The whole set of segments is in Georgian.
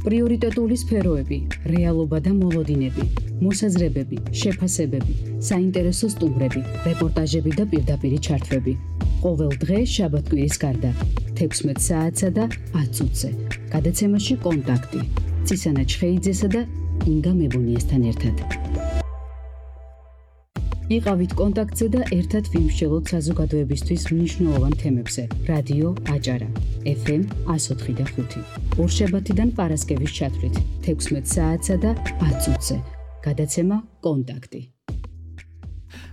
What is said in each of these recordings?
პრიორიტეტული სფეროები, რეალობა და მოლოდინები, მოსაზრებები, შეფასებები, საინტერესო სტუმრები, რეპორტაჟები და პირდაპირი ჩართვები. ყოველ დღე შაბათ-კვირის გარდა 16 საათსა და 10 წუთზე. გადაცემაში კონტაქტი. ცისანა ჩხეიძესა და ინგა მებუნიესთან ერთად. იყავით კონტაქტზე და ერთად ვიმსჯელოთ საზოგადოებისთვის მნიშვნელოვან თემებზე. რადიო აჭარა, FM 104.5. ორშაბათიდან პარასკევის ჩათვლით 16 საათსა და 10 წუთზე. გადაცემა კონტაქტი.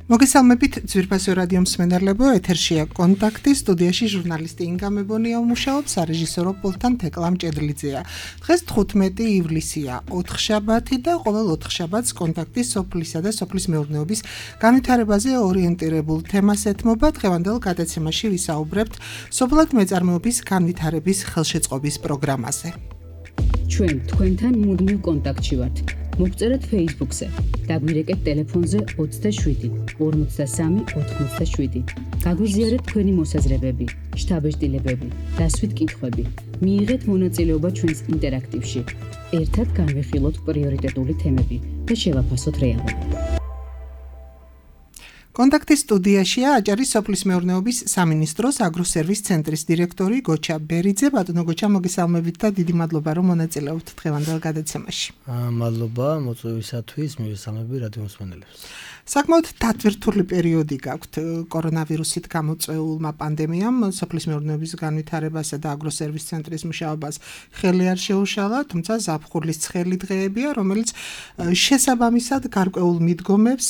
მოგესალმებით ძვირფასო რადიო მსმენელებო, ეთერშია კონტაქტი, სტუდიაში ჟურნალისტი ინგა მებონია მუშაობს, სარეჟისორო პულტთან თეკლა მჭედლიძეა. დღეს 15 ივლისია, 4 შაბათი და ყოველ 4 შაბათს კონტაქტის სოფლისა და სოფლის მეურნეობის განვითარებაზე ორიენტირებულ თემას ეთმობა. დღევანდელ გადაცემაში ვისაუბრებთ სოფლად მეწარმეობის განვითარების ხელშეწყობის პროგრამაზე. ჩვენ თქვენთან მუდმივ კონტაქტში ვართ. მოგწერეთ Facebook-ზე, დაგვირეკეთ ტელეფონზე 27 53 87. გაგვიზიარეთ თქვენი მოსაზრებები, შთაბეჭდილებები, დასვით კითხვები. მიიღეთ მონაწილეობა ჩვენს ინტერაქტივში. ერთად განვიხილოთ პრიორიტეტული თემები და შევაფასოთ რეალობა. კონტაქტის სტუდიაშია აჭარის სოფლის მეურნეობის სამინისტროს აგროსერვის ცენტრის დირექტორი გოჩა ბერიძე. ბატონო გოჩა, მოგესალმებით და დიდი მადლობა რომ მონაწილეობთ დღევანდელ გადაცემაში. მადლობა მოწვევისათვის, მოგესალმები რადიო მსმენელებს. საკმაოდ დატვირთული პერიოდი გაქვთ კორონავირუსით გამოწვეულმა პანდემიამ სოფლის მეურნეობის განვითარებასა და აგროსერვის ცენტრის მუშაობას ხელი არ შეუშალა, თუმცა ზაფხულის ცხელი დღეებია, რომელიც შესაბამისად გარკვეულ მიდგომებს,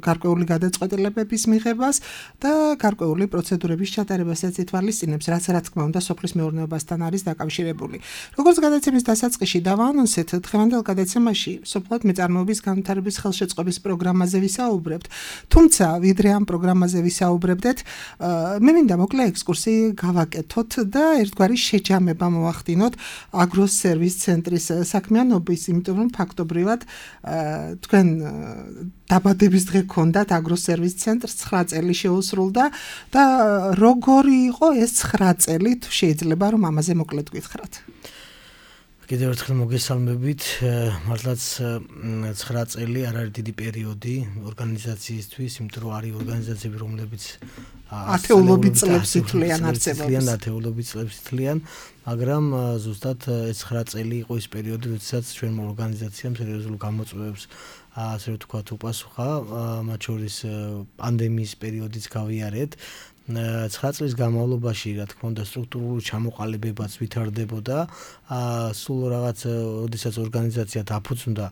გარკვეული გადაწყვეტილებების მიღებას და გარკვეული პროცედურების ჩატარებასაც ითვალისწინებს, რაც რა თქმა უნდა სოფლის მეურნეობასთან არის დაკავშირებული. როგორც გადაცემის დასაწყისში დავაანონსეთ, დღევანდელ გადაცემაში სოფლად მეწარმეობის განვითარების ხელშეწყობის პროგრამაზე ვისაუბრებთ. თუმცა, ვიდრე ამ პროგრამაზე ვისაუბრებდეთ, მე მინდა მოკლე ექსკურსი გავაკეთოთ და ერთგვარი შეჯამება მოვახდინოთ აგროსერვის ცენტრის საქმიანობის, იმიტომ რომ ფაქტობრივად თქვენ დაბადების დღე გქონდათ აგროსერვის ცენტრს 9 წელი შეუსრულდა და როგორი იყო ეს 9 წელი, თუ შეიძლება რომ ამაზე მოკლედ გითხრათ. კიდევ ერთხელ მოგესალმებით, მართლაც 9 წელი არ არის დიდი პერიოდი ორგანიზაციისთვის, იმიტომ რომ არის ორგანიზაციები, რომლებიც ათეულობით წლებს ითვლიან არსებობას. ათეულობით წლებს ითვლიან, მაგრამ ზუსტად ეს 9 წელი იყო ის პერიოდი, როდესაც ჩვენმა ორგანიზაციამ სერიოზულ გამოწვევებს ასე ვთქვათ უპასუხა, მათ შორის პანდემიის პერიოდიც გავიარეთ. 9 წლის განმავლობაში, რა თქმა უნდა, სტრუქტურული ჩამოყალიბებაც ვითარდებოდა. სულ რაღაც, როდესაც ორგანიზაცია დაფუძნდა,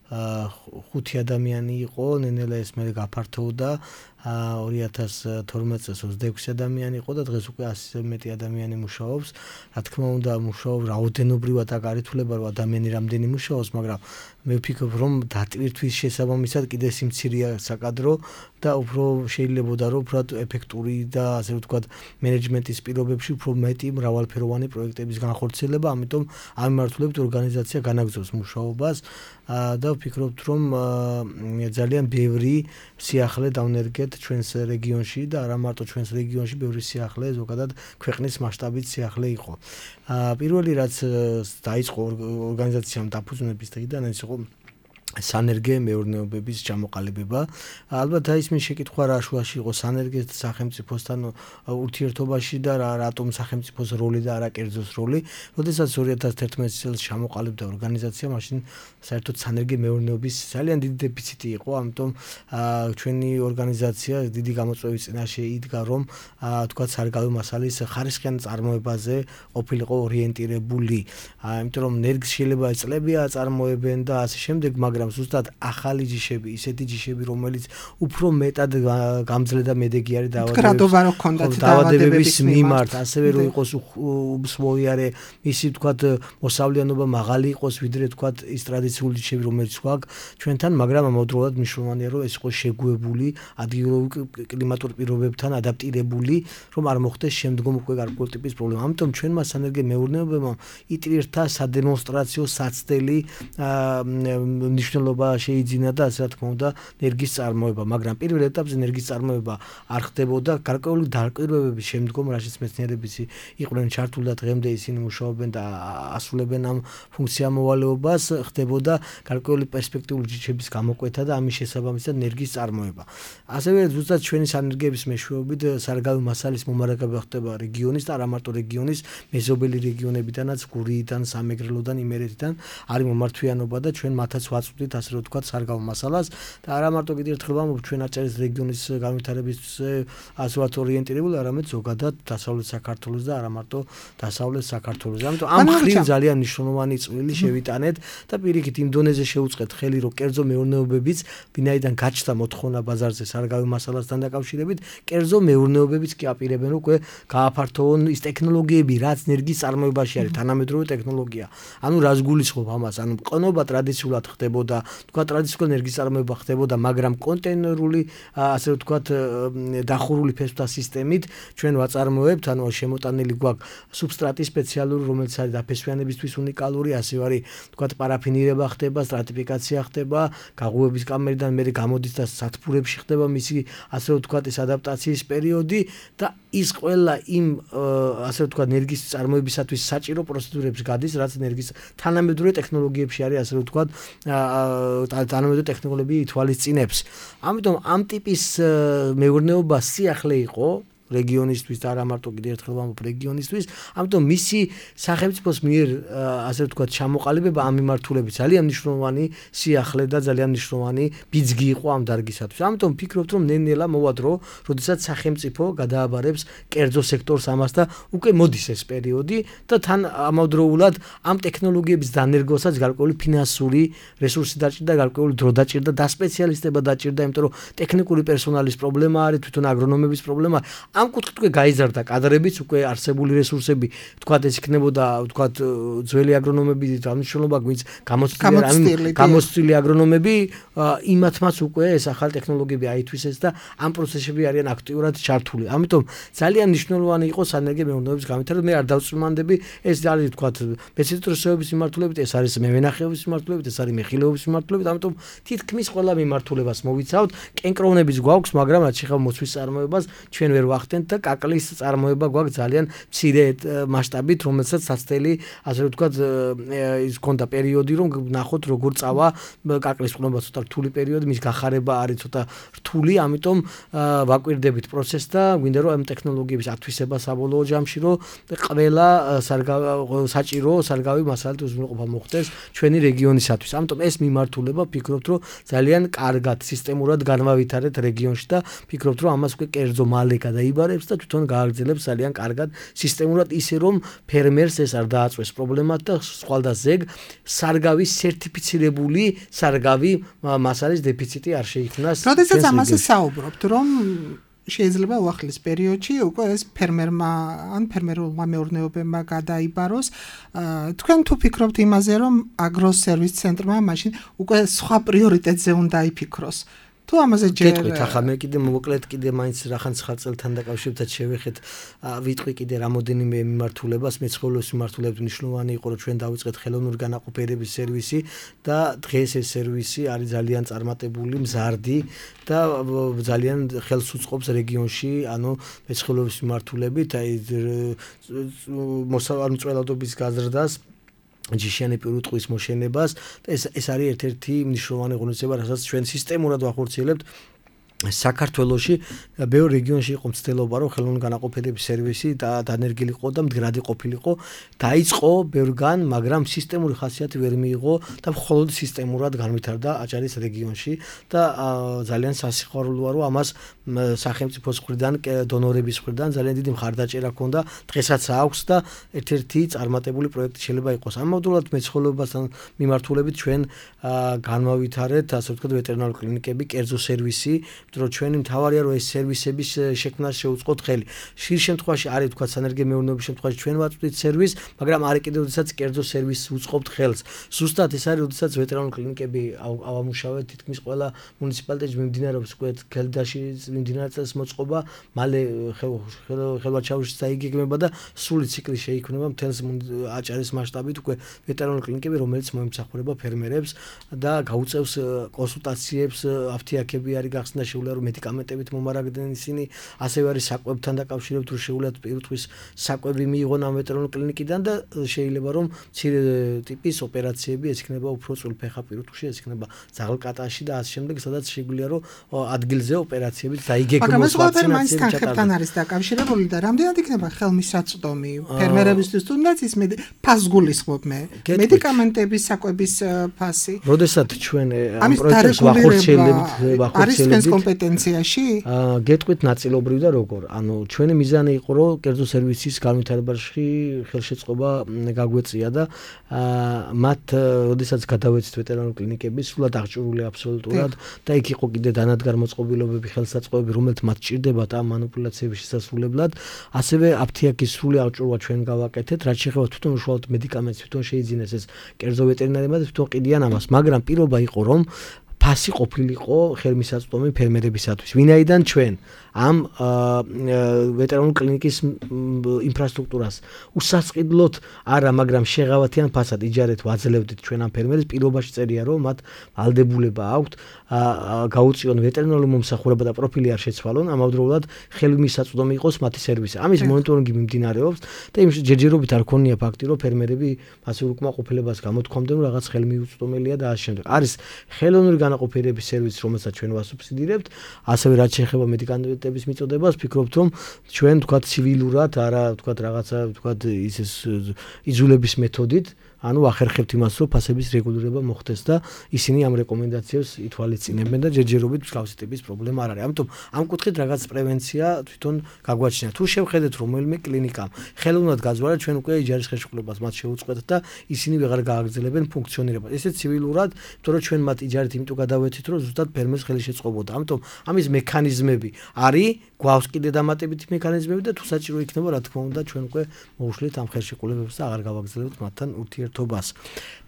5 ადამიანი იყო, ნენელა ეს მე გაფართოვდა. 2012 წელს 26 ადამიანი იყო და დღეს უკვე 100-ზე მეტი ადამიანი მუშაობს. რა თქმა უნდა, მუშაობს რაოდენობრივად აქ არ ითვლება, რომ ადამიანი რამდენი მუშაობს, მაგრამ მე ვფიქრობ, რომ დატვირთვის შესაბამისად კიდე სიმცირეა საკადრო და უფრო შეიძლებოდა, რომ უფრო ეფექტური და ასე ვთქვათ, მენეჯმენტის პირობებში უფრო მეტი მრავალფეროვანი პროექტების განხორციელება, ამიტომ ამ მიმართულებით ორგანიზაცია განაგრძობს მუშაობას და ვფიქრობთ, რომ ძალიან ბევრი სიახლე დავნერგეთ ჩვენს რეგიონში და არა მარტო ჩვენს რეგიონში, ბევრი სიახლე ზოგადად ქვეყნის მასშტაბით სიახლე იყო. პირველი რაც დაიწყო ორგანიზაციამ დაფუძნების დღიდან, ეს იყო სანერგე მეურნეობების ჩამოყალიბება. ალბათ დაისმის შეკითხვა რა შუაში იყო სანერგეს სახელმწიფოსთან ურთიერთობაში და რატომ სახელმწიფოს როლი და არა კერძოს როლი. როდესაც 2011 წელს ჩამოყალიბდა ორგანიზაცია, მაშინ საერთოდ სანერგე მეურნეობის ძალიან დიდი დეფიციტი იყო, ამიტომ ჩვენი ორგანიზაცია დიდი გამოწვევის წინაშე იდგა, რომ თქვათ სარგავი მასალის ხარისხიან წარმოებაზე ყოფილიყო ორიენტირებული. იმიტომ რომ ნერგს შეიძლება წლებია წარმოებენ და ასე შემდეგ, მაგრამ ზუსტად ახალი ჯიშები, ისეთი ჯიშები, რომელიც უფრო მეტად გამძლე და მედეგი არის დაავადებების მიმართ, ასევე რომ იყოს უსმოიარე, ისი თქვათ მოსავლიანობა მაღალი იყოს, ვიდრე თქვათ ის ტრადიციული ჯიშები, რომელიც გვაქვს ჩვენთან, მაგრამ ამავდროულად მნიშვნელოვანია, რომ ეს იყოს შეგუებული, ადგილობრივ კლიმატურ პირობებთან ადაპტირებული, რომ არ მოხდეს შემდგომ უკვე გარკვეული ტიპის პრობლემა. ამიტომ ჩვენმა სანერგე მეურნეობებმა იტვირთა სადემონსტრაციო საცდელი მნიშვნელობა შეიძინა და ასე რა თქმა უნდა ენერგიის წარმოება, მაგრამ პირველ ეტაპზე ენერგიის წარმოება არ ხდებოდა გარკვეული დაკვირვებების შემდგომ, რაშიც მეცნიერებიც იყვნენ ჩართული და დღემდე ისინი მუშაობენ და ასრულებენ ამ ფუნქციამოვალეობას, ხდებოდა გარკვეული პერსპექტიული ჯიშების გამოკვეთა და ამის შესაბამისად ენერგიის წარმოება. ასევე ზუსტად ჩვენი სანერგების მეშვეობით სარგავი მასალის მომარაგება ხდება რეგიონის და არა მარტო რეგიონის მეზობელი რეგიონებიდანაც, გურიიდან, სამეგრელოდან, იმერეთიდან არის მომართვიანობა და ჩვენ მათაც ვაწვდით ასე რომ ვთქვათ სარგავ მასალას და არა მარტო კიდევ ერთხელ ვამბობ ჩვენ აჭარის რეგიონის განვითარების ასე ვთქვათ ორიენტირებული, არამედ ზოგადად დასავლეთ საქართველოს და არა მარტო დასავლეთ საქართველოს. ამიტომ ამ ხრივ ძალიან მნიშვნელოვანი წვლილი შევიტანეთ და პირიქით იმ დონეზე შევუწყეთ ხელი, რომ კერძო მეურნეობებიც ვინაიდან გაჩნდა მოთხოვნა ბაზარზე სარგავი მასალასთან დაკავშირებით, კერძო მეურნეობებიც კი აპირებენ უკვე გააფართოვონ ის ტექნოლოგიები, რაც ენერგიის წარმოებაში არის, თანამედროვე ტექნოლოგია. ანუ რას გულისხმობ ამას? ანუ ყნობა ტრადიციულად ხდებოდა, თქვა ტრადიციული ენერგიის წარმოება ხდებოდა, მაგრამ კონტეინერული, ასე ვთქვათ, დახურული ფესვთა სისტემით ჩვენ ვაწარმოებთ, ანუ შემოტანილი გვაქვს სუბსტრატი სპეციალური, რომელიც არის დაფესვიანებისთვის უნიკალური, ასე არის, ვთქვათ, პარაფინირება ხდება, სტრატიფიკაცია ხდება, გაღუების კამერიდან მე გამოდის და სათბურებში ხდება მისი, ასე ვთქვათ, ეს ადაპტაციის პერიოდი და ის ყველა იმ, ასე ვთქვათ, ენერგიის წარმოებისათვის საჭირო პროცედურებს გადის, რაც ენერგიის თანამედროვე ტექნოლოგიებში არის, ასე ვთქვათ, თანამედროვე ტექნოლოგიები ითვალისწინებს. ამიტომ ამ ტიპის მეურნეობა სიახლე იყო რეგიონისთვის და არა მარტო კიდევ ერთხელ ვამბობ რეგიონისთვის, ამიტომ მისი სახელმწიფოს მიერ ასე ვთქვათ ჩამოყალიბება ამ მიმართულებით ძალიან მნიშვნელოვანი სიახლე და ძალიან მნიშვნელოვანი ბიძგი იყო ამ დარგისათვის. ამიტომ ვფიქრობთ, რომ ნელ-ნელა მოვა დრო, როდესაც სახელმწიფო გადააბარებს კერძო სექტორს ამას და უკვე მოდის ეს პერიოდი და თან ამავდროულად ამ ტექნოლოგიების დანერგოსაც გარკვეული ფინანსური რესურსი დაჭირდა, გარკვეული დრო დაჭირდა, დასპეციალისტება დაჭირდა, იმიტომ რომ ტექნიკური პერსონალის პრობლემა არის, თვითონ აგრონომების პრობლემა. ამ კუთხით უკვე გაიზარდა კადრებიც, უკვე არსებული რესურსები, თქვათ ეს იქნებოდა, თქვათ ძველი აგრონომები, დამნიშნულობა გვინც გამოცდილი აგრონომები, იმათმაც უკვე ეს ახალი ტექნოლოგიები აითვისეს და ამ პროცესებში არიან აქტიურად ჩართული. ამიტომ ძალიან მნიშვნელოვანი იყო სანერგე მეურნეობის განვითარება. მე არ დავწმანდები, ეს არის თქვათ მეცნიერების მიმართულებით, ეს არის მევენახეობის მიმართულებით, ეს არის მეხილეობის მიმართულებით, ამიტომ თითქმის ყველა მიმართულებას მოვიცავთ. კენკროვნების გვაქვს, მაგრამ რაც შეხება მოცვის წარმოებას, ჩვენ ვერ ვახდენთ და კაკლის წარმოება გვაქვს ძალიან მცირე მასშტაბით, რომელსაც საცდელი, ასე ვთქვათ, ის ქონდა პერიოდი, რომ ნახოთ როგორ წავა კაკლის ყნობა, ცოტა რთული პერიოდი, მის გახარება არის ცოტა რთული, ამიტომ ვაკვირდებით პროცესს და გვინდა რომ ამ ტექნოლოგიების ათვისება საბოლოო ჯამში, რომ ყველა საჭირო სარგავი მასალით უზრუნველყოფა მოხდეს ჩვენი რეგიონისათვის. ამიტომ ეს მიმართულება ვფიქრობთ, რომ ძალიან კარგად სისტემურად განავითარეთ რეგიონში და ვფიქრობთ, რომ ამას უკვე კერძო მალე გადაიბარებს და თვითონ გააგრძელებს ძალიან კარგად სისტემურად, ისე რომ ფერმერს ეს არ დააწვეს პრობლემად და სხვადასხვა სარგავის სერტიფიცირებული სარგავი მასალის დეფიციტი არ შეიქმნას. როდესაც ამაზე საუბრობთ, რომ შეიძლება უახლეს პერიოდში უკვე ეს ფერმერმა ან ფერმერულმა მეურნეობებმა გადაიბაროს. თქვენ თუ ფიქრობთ იმაზე, რომ აგროსერვის ცენტრმა მაშინ უკვე სხვა პრიორიტეტზე უნდა იფიქროს? თუ ამაზე ჯერ გეტყვით, ახლა მე კიდე მოკლედ კიდე მაინც რახან ცხაწელთან დაკავშირებთან შევეხეთ, ვიტყვი კიდე რამოდენიმე მიმართულებას, მეცხოველეობის მიმართულებით მნიშვნელოვანი იყო, რომ ჩვენ დავიწყეთ ხელოვნური განაყოფიერების სერვისი და დღეს ეს სერვისი არის ძალიან წარმატებული, მზარდი და ძალიან ხელს უწყობს რეგიონში, ანუ მეცხოველეობის მიმართულებით, აი მოსწავლადობის გაზრდას, ჯიშიანი პირუტყვის მოშენებას და ეს არის ერთ-ერთი მნიშვნელოვანი ღონისძიება, რასაც ჩვენ სისტემურად ვახორციელებთ. საქართველოში ბევრ რეგიონში იყო მცდელობა, რომ ხელოვნური განაყოფიერების სერვისი დანერგილიყო და მდგრადი ყოფილიყო. დაიწყო ბევრგან, მაგრამ სისტემური ხასიათი ვერ მიიღო და მხოლოდ სისტემურად განვითარდა აჭარის რეგიონში და ძალიან სასიხარულოა, რომ ამას სახელმწიფოს მხრიდან, დონორების მხრიდან ძალიან დიდი მხარდაჭერა ჰქონდა, დღესაც აქვს და ერთ-ერთი წარმატებული პროექტი შეიძლება იყოს. ამავდროულად მეცხოველეობასთან მიმართულებით ჩვენ განვავითარეთ, ასე ვთქვათ, ვეტერინარული კლინიკები, კერძო სერვისი, იმიტომ რომ ჩვენი მთავარია რომ ეს სერვისების შექმნას შეუწყოთ ხელი. ხშირ შემთხვევაში არის თქვა სანერგე მეურნეობის შემთხვევაში ჩვენ ვაწვდით სერვისს, მაგრამ არის კიდევ როდესაც კერძო სერვისს უწყობთ ხელს. ზუსტად ეს არის როდესაც ვეტერინარული კლინიკები ავამუშავეთ, თითქმის ყველა მუნიციპალიტეტში მიმდინარეობს უკვე ხელდაში მიმდინარეობს მოწყობა, მალე ხელვაჩაურის დაიგეგმება და სრული ციკლი შეიქმნება მთელს აჭარის მასშტაბით უკვე ვეტერინარული კლინიკები, რომელიც მოიმსახურება ფერმერებს და გაუწევს კონსულტაციებს, აფთიაქები არის გახსნა შეუძლია რომ მედიკამენტებით მომარაგდნენ ისინი, ასევე არის საკვებთან დაკავშირებით რომ შეუძლიათ პირუტყვის საკვები მიიღონ ამ ვეტერინარული კლინიკიდან და შეიძლება რომ მცირე ტიპის ოპერაციები ეს იქნება უფრო წულფეხა პირუტყვში, ეს იქნება ძაღლკატაში და ასე შემდეგ, სადაც შეგვიძლია რომ ადგილზე ოპერაციებით დაიგეგმოს ვაქცინაციები ჩატარდეს. არის დაკავშირებული და რამდენად იქნება ხელმისაწვდომი ფერმერებისთვის თუნდაც ის ფასს გულისხმობ მე მედიკამენტების საკვების ფასი. როდესაც ჩვენ ამ პროექტებს ვახორციელებთ არის ჩვენს კომპეტენციაში? გეტყვით ნაწილობრივ და როგორ. ანუ ჩვენი მიზანი იყო რომ კერძო სერვისის განვითარებაში ხელშეწყობა გაგვეწია და მათ როდესაც გადავეცით ვეტერინარული კლინიკები სულად აღჭურვილი აბსოლუტურად და იქ იყო კიდე დანადგარმოწყობილობები, ხელსაწყოები, რომელთ მათ ჭირდებათ ამ მანიპულაციების შესასრულებლად, ასევე აფთიაქის სრული აღჭურვა ჩვენ გავაკეთეთ, რაც შეეხება თვითონ უშუალოდ მედიკამენტს, თვითონ შეიძინეს ეს კერძო ვეტერინარებმა და თვითონ ყიდიან ამას, მაგრამ პირობა იყო რომ ფასი ყოფილიყო ხელმისაწვდომი ფერმერებისათვის. ვინაიდან ჩვენ ამ ვეტერინარული კლინიკის ინფრასტრუქტურას უსასყიდლოდ არა, მაგრამ შეღავათიან ფასად იჯარეთ ვაძლევდით ჩვენ ამ ფერმერებს, პირობაში წერია რომ მათ ვალდებულება აქვთ გაუწიონ ვეტერინარული მომსახურება და პროფილი არ შეცვალონ, ამავდროულად ხელმისაწვდომი იყოს მათი სერვისი. ამის მონიტორინგი მიმდინარეობს და იმ ჯერჯერობით არ ქონია ფაქტი რომ ფერმერები მასიურ უკმაყოფილებას გამოთქვამდნენ რომ რაღაც ხელმიუწვდომელია და ასე შემდეგ. არის ხელოვნური განაყოფიერების სერვისი, რომელსაც ჩვენ ვასუბსიდირებთ, ასევე რაც შეეხება მედიკამენტების მიწოდებას, ვფიქრობთ რომ ჩვენ თქვათ ცივილურად, არა თქვათ რაღაცა თქვათ ის იძულების მეთოდით ანუ ახერხებთ იმას, რომ ფასების რეგულირება მოხდეს და ისინი ამ რეკომენდაციებს ითვალისწინებენ და ჯერჯერობით მსგავსი ტიპის პრობლემა არ არის. ამიტომ ამ კუთხით რაღაც პრევენცია თვითონ გაგვაჩნია. თუ შევხედეთ რომელიმე კლინიკამ ხელოვნურად გაძვარა, ჩვენ უკვე იჯარის ხელშეკრულებას მათ შეუწყეთ და ისინი ვეღარ გააგრძელებენ ფუნქციონირებას. ესე ცივილურად, იმიტომ რომ ჩვენ მათ იჯარით იმიტომ გადავეცით, რომ ზუსტად ფერმერს ხელი შეწყობოდა. ამიტომ ამის მექანიზმები არის, გვაქვს კიდე დამატებითი მექანიზმები და თუ საჭირო იქნება, რა თქმა უნდა, ჩვენ უკვე მოვუშლით ამ ხელშეკრულებებს და აღარ გავაგრძელებთ მათთან ურთიერთობას.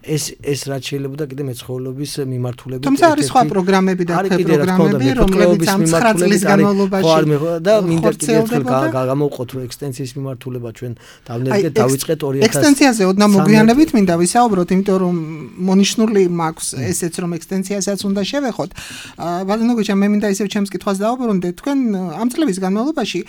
ეს რაც შეიძლება და კიდე მეცხოველობის მიმართულებით თუმცა არის სხვა პროგრამები და პროგრამები, რომლებიც ამ 9 წლის განმავლობაში და მინდა კიდე ერთხელ გამოვყოთ რომ ექსტენსიის მიმართულება ჩვენ დავნერგეთ, დავიწყეთ 2000 ექსტენსიაზე ოდნავ მოგვიანებით მინდა ვისაუბროთ, იმიტომ რომ მონიშნული მაქვს ესეც რომ ექსტენსიასაც უნდა შევეხოთ. ბატონო გიჩა, მე მინდა ისევ ჩემს კითხვას დავაბრუნდეთ. თქვენ ამ წლების განმავლობაში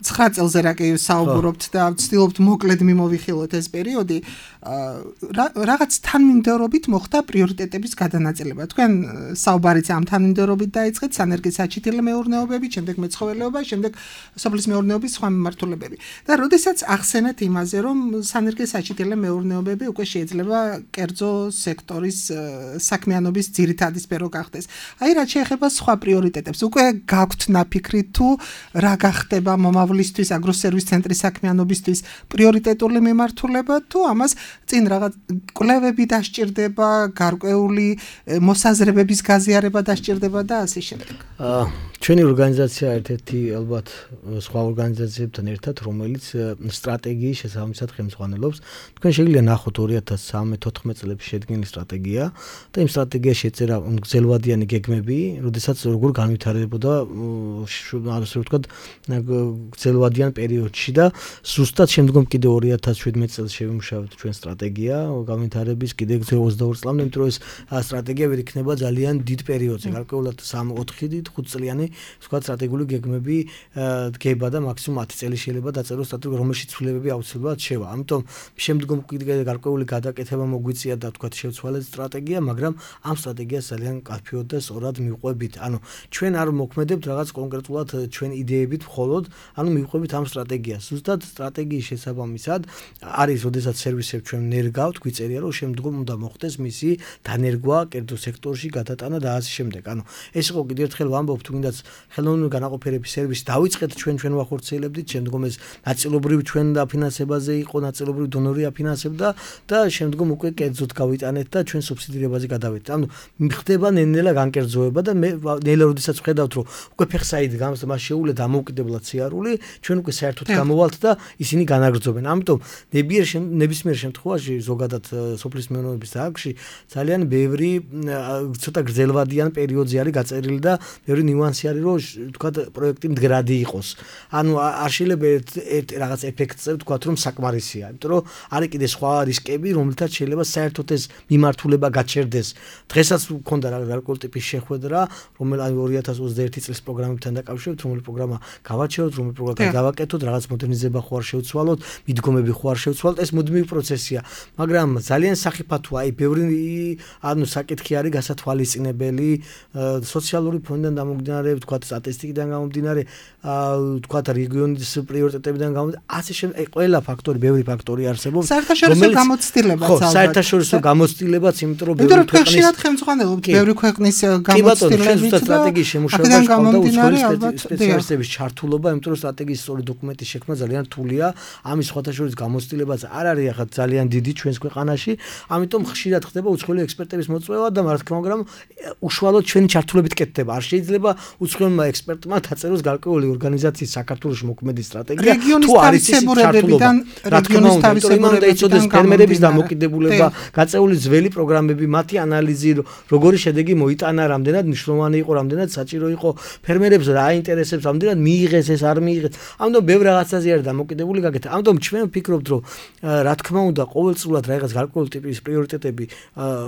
9 წელზე რა კი საუბრობთ და ვცდილობთ მოკლედ მიმოვიხილოთ ეს პერიოდი, რაღაც თანმიმდევრობით მოხდა პრიორიტეტების გადანაწილება. თქვენ საუბარიც ამ თანმიმდევრობით დაიწყეთ, სანერგე საჩითილე მეურნეობები, შემდეგ მეცხოველეობა, შემდეგ სოფლის მეურნეობის სხვა მიმართულებები. და როდესაც ახსენეთ იმაზე, რომ სანერგე საჩითილე მეურნეობები უკვე შეიძლება კერძო სექტორის საქმიანობის ძირითადი სფერო გახდეს. აი რაც შეეხება სხვა პრიორიტეტებს, უკვე გაქვთ ნაფიქრი თუ რა გახდება მომავლისთვის აგროსერვის ცენტრის საქმიანობისთვის პრიორიტეტული მიმართულება თუ ამას წინ რაღაც კვლევები დასჭირდება, გარკვეული მოსაზრებების გაზიარება დასჭირდება და ასე შემდეგ. ჩვენი ორგანიზაცია ერთ-ერთი ალბათ სხვა ორგანიზაციებთან ერთად, რომელიც სტრატეგიის შესაბამისად ხელმძღვანელობს. თქვენ შეგიძლია ნახოთ 2013-14 წლებში შედგენილი სტრატეგია და იმ სტრატეგიაში ეწერა გრძელვადიანი გეგმები, როდესაც როგორ განვითარებოდა ასე ვთქვათ გრძელვადიან პერიოდში და ზუსტად შემდგომ კიდე 2017 წელს შევიმუშავეთ ჩვენ სტრატეგია განვითარების კიდე 22 წლამდე, იმიტომ რომ ეს სტრატეგია ვერ იქნება ძალიან დიდ პერიოდზე, გარკვეულად 3-4 5 წლიანი ვთქვათ სტრატეგიული გეგმები დგება და მაქსიმუმ 10 წელი შეიძლება დაწეროს სტრატეგია, რომელშიც ცვლილებები აუცილებლად შევა. ამიტომ შემდგომ კიდე გარკვეული გადაკეთება მოგვიწია და ვთქვათ შევცვალეთ სტრატეგია, მაგრამ ამ სტრატეგიას ძალიან კაფეოდ და სწორად მივყვებით. ანუ ჩვენ არ მოქმედებთ რაღაც კონკრეტულად ჩვენ იდეებით მხოლოდ, ანუ მივყვებით ამ სტრატეგიას. ზუსტად სტრატეგიის შესაბამისად არის, როდესაც სერვისებს ჩვენ ნერგავთ, გვიწერია, რომ შემდგომ უნდა მოხდეს მისი დანერგვა კერძო სექტორში გადატანა და ასე შემდეგ. ანუ ეს იყო კიდევ ერთხელ ვამბობ, თუ გინდათ ხელოვნური განაყოფიერების სერვისი დავიწყეთ ჩვენ ვახორციელებდით, შემდგომ ეს ნაწილობრივ ჩვენ დაფინანსებაზე იყო, ნაწილობრივ დონორი აფინანსებდა და შემდგომ უკვე კერძოდ გავიტანეთ და ჩვენ სუბსიდირებაზე გადავედით. ანუ ხდება ნელ-ნელა განკერძოება და მე ნელა როდესაც ვხედავთ რომ უკვე ფეხსაით გავს მას შეუძლია დამოუკიდებლად სიარული, ჩვენ უკვე საერთოდ გამოვალთ და ისინი განაგრძობენ. ამიტომ ნებისმიერ შემთხვევაში ზოგადად სოფლის მეურნეობის დარგში ძალიან ბევრი ცოტა გრძელვადიან პერიოდზე არის გაწერილი და ბევრი ნიუანსი არის რომ თქვა პროექტი მდგრადი იყოს. ანუ არ შეიძლება რაღაც ეფექტზე თქვა რომ საკმარისია, იმიტომ რომ არის კიდე სხვა რისკები, რომელთაც შეიძლება საერთოდ ეს მიმართულება გაჩერდეს. დღესაც მქონდა გარკვეული ტიპის შეხვედრა, რომელიც 2021 წლის პროგრამებთან დაკავშირებით, რომელი პროგრამა გავაჩეროთ, რომელი პროგრამა გავაკეთოთ, რაღაც მოდერნიზება ხო არ შევცვალოთ, მიდგომები ხო არ შევცვალოთ, ეს მუდმივი პროცესია. მაგრამ ძალიან სახიფათოა, აი ბევრი ანუ საკითხი არის გასათვალისწინებელი, სოციალური ფონდიდან გამომდინარე, თქვა სტატისტიკიდან გამომდინარე, თქვა რეგიონის პრიორიტეტებიდან გამომდინარე, ასე შემდეგ, ყველა ფაქტორი, ბევრი ფაქტორი არსებობს. საერთაშორისო გამოცდილებაც ალბათ. ხო, საერთაშორისო გამოცდილებაც, იმიტომ რომ ბევრი ქვეყნის ხელმძღვანელობთ, ბევრი ქვეყნის გამოცდილებიც და სტრატეგიის შემუშავება და უცხოელი სპეციალისტების ჩართულობა, იმიტომ რომ სტრატეგიის სწორი დოკუმენტის შექმნა ძალიან რთულია. ამის სხვათა შორის გამოცდილებაც არ არის ახლა ძალიან დიდი ჩვენს ქვეყანაში, ამიტომ ხშირად ხდება უცხოელი ექსპერტების მოწვევა და რა თქმა უნდა, უშუალოდ ჩვენი ჩართულობით კეთდება. არ შეიძლება უცხოელმა ექსპერტმა დაწეროს გარკვეული ორგანიზაციის საქართველოს მოქმედი სტრატეგია, თუ არის ის ჩართულობა. რა თქმა უნდა, იმან დაიცოდეს ფერმერების დამოკიდებულება, გაწეული ძველი პროგრამები, მათი ანალიზი, როგორი შედეგი მოიტანა, რამდენად მნიშვნელოვანი იყო, რამდენად საჭირო იყო ფერმერებს რა აინტერესებს, რამდენად მიიღეს ეს არ მიიღეს. ამიტომ ბევრ რაღაცაზე არის დამოკიდებული გაკეთება. ამიტომ ჩვენ ვფიქრობთ, რომ რა თქმა უნდა, ყოველწლიურად რაღაც გარკვეული ტიპის პრიორიტეტები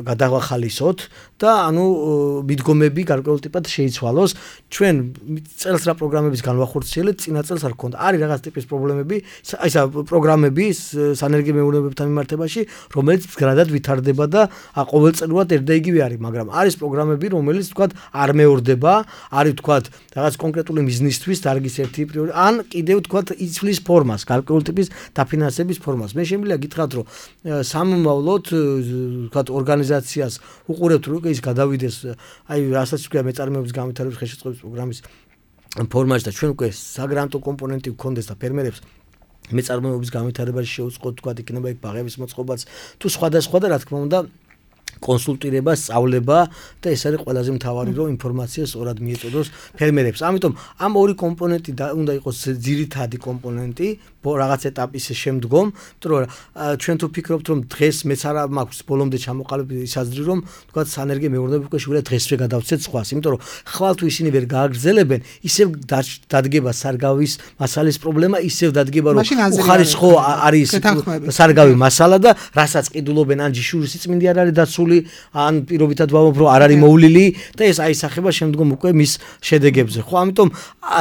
გადავახალისოთ და ანუ მიდგომები გარკვეულ ტიპად შეიცვალოს. ჩვენ წელს რა პროგრამების განვახორციელეთ, წინა წელს არ გქონდა. არის რაღაც ტიპის პრობლემები, აი ესა პროგრამები სანერგე მეურნეობებთან მიმართებაში, რომელიც მდგრადად ვითარდება და ყოველწლიურად ერთ და იგივე არის, მაგრამ არის პროგრამები, რომელიც თქვა არ მეორდება, არის თქვა რაღაც კონკრეტული მიზნისთვის დარგის ერთი პრიორიტეტი, ან კიდევ თქვა იცვლის ფორმას, გარკვეული ტიპის დაფინანსების ფორმას. მე შემიძლია გითხრათ, რომ სამომავლოდ თქვა ორგანიზაციას უყურებთ, რომ ის გადავიდეს, აი რასაც ვქვია მეწარმეობის განვითარების ხელშეწყობის პროგრამის ფორმაში და ჩვენ უკვე საგრანტო კომპონენტი გქონდეს და ფერმერებს მეწარმეობის განვითარებაში შეუწყოთ, თქვა იქნება იქ ბაღების მოწყობაც, თუ სხვადასხვა და რა თქმა უნდა კონსულტირება, სწავლება და ეს არის ყველაზე მთავარი, რომ ინფორმაცია სწორად მიეწოდოს ფერმერებს. ამიტომ ამ ორი კომპონენტი უნდა იყოს ძირითადი კომპონენტი რაღაც ეტაპის შემდგომ, იმიტომ რომ ჩვენ თუ ფიქრობთ, რომ დღეს მეც არა მაქვს ბოლომდე ჩამოყალიბებული ისაზრი, რომ თქვა სანერგე მეურნეობა უკვე შეგვიძლია დღესვე გადავცეთ სხვას, იმიტომ რომ ხვალ თუ ისინი ვერ გააგრძელებენ, ისევ დადგება სარგავის მასალის პრობლემა, ისევ დადგება რომ უხარისხო არის სარგავი მასალა და რასაც ყიდულობენ ან ჯიშური სიწმინდე არ არის დაცული, ან პირობითად ვამბობ, რომ არ არის მოვლილი და ეს აისახება შემდგომ უკვე მის შედეგებზე. ხო, ამიტომ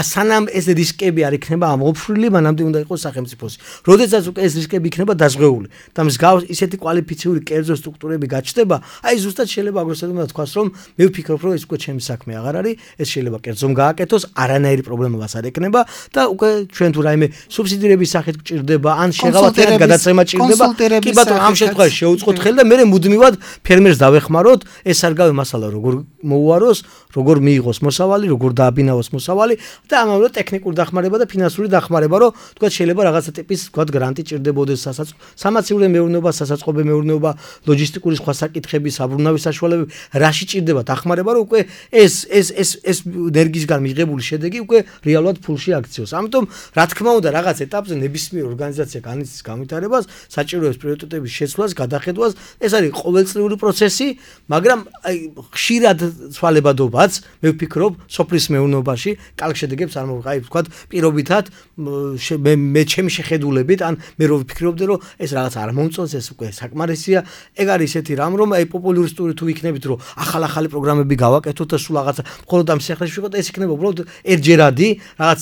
სანამ ეს რისკები არ იქნება ამოფრილი, მანამდე უნდა იყოს სახელმწიფოსი. როდესაც უკვე ეს რისკები იქნება დაზღვეული და მსგავს ისეთი კვალიფიციური კერძო სტრუქტურები გაჩნდება, აი ზუსტად შეიძლება აგრესორებმა თქვას, რომ მე ვფიქრობ, რომ ეს უკვე ჩემი საქმე აღარ არის, ეს შეიძლება კერძომ გააკეთოს, არანაირი პრობლემას არ ექნება და უკვე ჩვენ თუ რაიმე სუბსიდირების სახით გჭირდება, ან შეღავათებად გადაცემა ჭირდება, კი ბატონო, ამ შემთხვევაში შეუწყოთ ხელი და მე მუდმივად ფერმერს დავეხმაროთ, ეს სარგავი მასალა როგორ მოუაროს, როგორ მიიღოს მოსავალი, როგორ დააბინავოს მოსავალი და ამავე ტექნიკური დახმარება და ფინანსური დახმარება, რომ თქვა შეიძლება რაღაცა ტიპის თქვა გრანტი ჭირდებოდეს სამაცივრო მეურნეობა, სასაწყობე მეურნეობა, ლოჯისტიკური სხვა საკითხები, საბრუნავი საშუალებები, რაში ჭირდება დახმარება, რომ უკვე ეს ენერგიისგან მიღებული შედეგი უკვე რეალურად ფულში აქციოს. ამიტომ რა თქმა უნდა რაღაც ეტაპზე ნებისმიერ ორგანიზაცია განიცდის განვითარებას, საჭიროებს პრიორიტეტების შეცვლას, გადახედვას, ეს არის ყოველწლიური პროცესი, მაგრამ აი ხშირად ცვალებადობაც მე ვფიქრობ სოფლის მეურნეობაში კალკ შედეგებს არ მოვიღებ, აი ვთქვათ პირობითად მე ჩემი შეხედულებით, ან მე რო ვფიქრობდი, რომ ეს რაღაც არ მომწონს, ეს უკვე საკმარისია. ეგ არის ისეთი რამ, რომ აი პოპულარისტური თუ იქნებით, რომ ახალი პროგრამები გავაკეთოთ და სულ რაღაცა მხოლოდ ამ სიახლეში ვიყოთ, ეს იქნება უბრალოდ ერთჯერადი რაღაც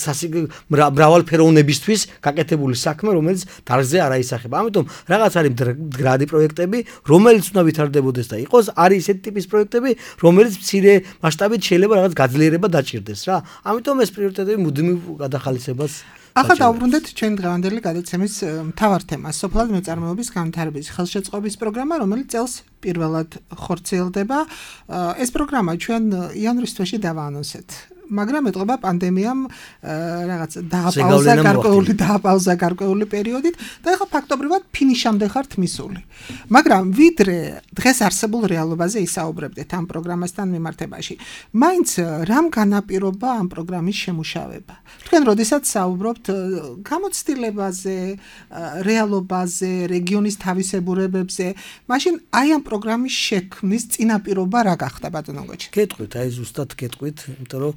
მრავალფეროვნებისთვის გაკეთებული საქმე, რომელიც დარგზე არ აისახება. ამიტომ რაღაც არის მდგრადი პროექტები, რომელიც უნდა ვითარდებოდეს და იყოს, არის ისეთი ტიპის პროექტები, რომელიც მცირე მასშტაბით შეიძლება რაღაც გაძლიერება დაჭირდეს რა. ამიტომ ეს პრიორიტეტები მუდმივ გადახალისებას ახლა დავუბრუნდეთ ჩვენ დღევანდელი გადაცემის მთავარ თემას, სოფლად მეწარმეობის განვითარების ხელშეწყობის პროგრამა, რომელიც წელს პირველად ხორციელდება. ეს პროგრამა ჩვენ იანვრის თვეში დავაანონსეთ. მაგრამ ეტყობა პანდემიამ რაღაც დააპაუზა გარკვეული პერიოდით და ეხლა ფაქტობრივად ფინიშამდე ხართ მისული. მაგრამ ვიდრე დღეს არსებულ რეალობაზე ისაუბრებდეთ ამ პროგრამასთან მიმართებაში, მაინც რამ განაპირობა ამ პროგრამის შემუშავება? თქვენ როდესაც საუბრობთ გამოცდილებაზე, რეალობაზე, რეგიონის თავისებურებებზე, მაშინ აი ამ პროგრამის შექმნის წინაპირობა რა გახდა ბატონო გოჩა? გეტყვით, აი ზუსტად გეტყვით, იმიტომ რომ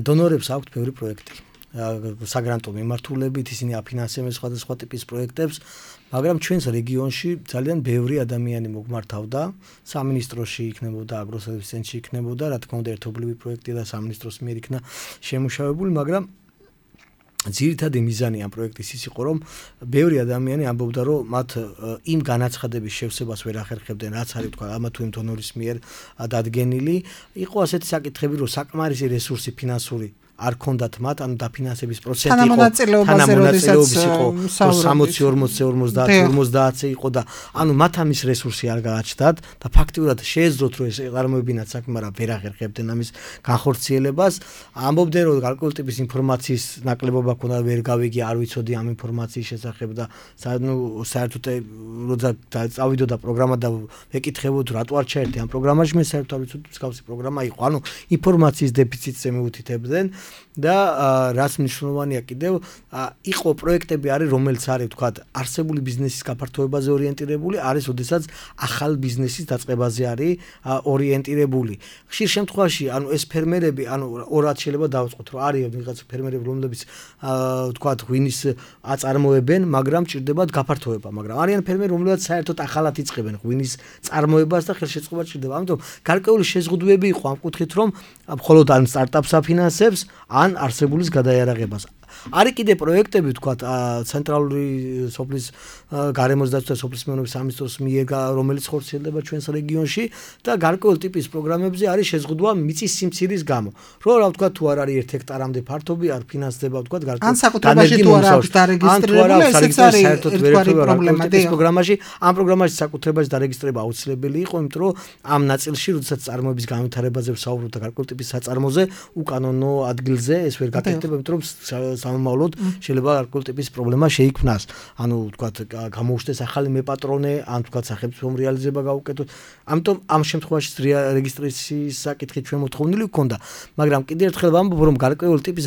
დონორებს აქვთ ბევრი პროექტი. საგრანტო მიმართულებით ისინი აფინანსებენ სხვადასხვა ტიპის პროექტებს, მაგრამ ჩვენს რეგიონში ძალიან ბევრი ადამიანი მოგმართავდა, სამინისტროში იქნებოდა, აგროსერვისის ცენტრში იქნებოდა, რა თქმა უნდა, ერთობლივი პროექტი და სამინისტროს მიერ იქნა შემუშავებული, მაგრამ ძირითადი მიზანი ამ პროექტის ის იყო, რომ ბევრი ადამიანი ამბობდა, რომ მათ იმ განაცხადების შევსებას ვერ ახერხებდნენ, რაც არის თქვა ამა თუ იმ დონორის მიერ დადგენილი, იყო ასეთი საკითხები, რომ საკმარისი რესურსი ფინანსური არ ქონდათ მათ, ანუ დაფინანსების პროცენტი იყო თანამონაწილეობის იყო 60-40-50 იყო და ანუ მათ ამის რესურსი არ გააჩნდათ და ფაქტიურად შეეძლოთ რომ ეს წარმოებინათ საქმე, მაგრამ ვერ აღერხებდნენ ამის განხორციელებას. ამბობდნენ რომ გარკვეული ტიპის ინფორმაციის ნაკლებობა ქონდა, ვერ გავიგე, არ ვიცოდი ამ ინფორმაციის შესახებ და საერთოდ როცა წავიდოდა პროგრამა და ვეკითხებოდ რატო არ ჩაერთე ამ პროგრამაში, მე საერთოდ არ ვიცოდი მსგავსი პროგრამა იყო. ანუ ინფორმაციის დეფიციტზე მიუთითებდნენ და რაც მნიშვნელოვანია კიდევ იყო პროექტები არის რომელიც არის თქვა არსებული ბიზნესის გაფართოებაზე ორიენტირებული, არის ოდესაც ახალ ბიზნესის დაწყებაზე არის ორიენტირებული. ხშირ შემთხვევაში ანუ ეს ფერმერები ანუ ორად შეიძლება დავწყოთ, რომ არის ვიღაც ფერმერები რომლებიც თქვა ღვინის აწარმოებენ, მაგრამ ჭირდებათ გაფართოება, მაგრამ არიან ფერმერები რომლებიც საერთოდ ახალად იწყებენ ღვინის წარმოებას და ხელშეწყობა ჭირდება. ამიტომ გარკვეული შეზღუდვები იყო ამ კუთხით, რომ მხოლოდ ან სტარტაპს აფინანსებს, ან არსებულის გადაიარაღებას. არის კიდე პროექტები თქვა ცენტრალური სოფლის გარემოს დაცვა სოფლის მეურნეობის სამინისტროს მიერ, რომელიც ხორციელდება ჩვენს რეგიონში და გარკვეული ტიპის პროგრამებზე არის შეზღუდვა მიწის სიმცირის გამო. რომ რა ვთქვა, თუ არ არის 1 ჰექტარამდე ფართობი, არ ფინანსდება ვთქვა გარკვეული განსაკუთრებაში თუ არ აქვს დარეგისტრირებული, ესეც არის ერთგვარი პრობლემა. ეს პროგრამაში, ამ პროგრამაში საკუთრებაში დარეგისტრება აუცილებელი იყო, იმიტომ რომ ამ ნაწილში, როდესაც წარმოების განვითარებაზე ვსაუბრობთ და გარკვეული ტიპის საწარმოზე, უკანონო ადგილზე ეს ვერ გაკეთდება, იმიტომ რომ სამომავლოდ შეიძლება გარკვეული ტიპის პრობლემა შეიქმნას. ანუ ვთქვათ, გამოუჩნდეს ახალი მეპატრონე, ან ვთქვათ, სახელმწიფომ რეალიზება გაუკეთოს. ამიტომ ამ შემთხვევაში რეგისტრაციის საკითხი ჩვენ მოთხოვნილი გვქონდა, მაგრამ კიდევ ერთხელ ვამბობ, რომ გარკვეული ტიპის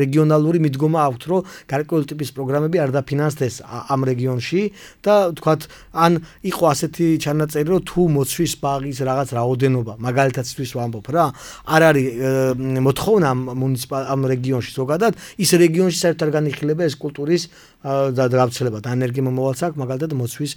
რეგიონალური მიდგომა აქვთ, რომ გარკვეული ტიპის პროგრამები არ დაფინანსდეს ამ რეგიონში და ვთქვათ, ან იყო ასეთი ჩანაწერი, რომ თუ მოცვის ბაღის რაღაც რაოდენობა, მაგალითად თვის ვამბობ რა, არ არის მოთხოვნა ამ რეგიონში ზოგადად, ის რეგიონში საერთოდ არ განიხილება ეს კულტურის გავრცელება და ენერგიამომავალს აქვს მაგალითად მოცვის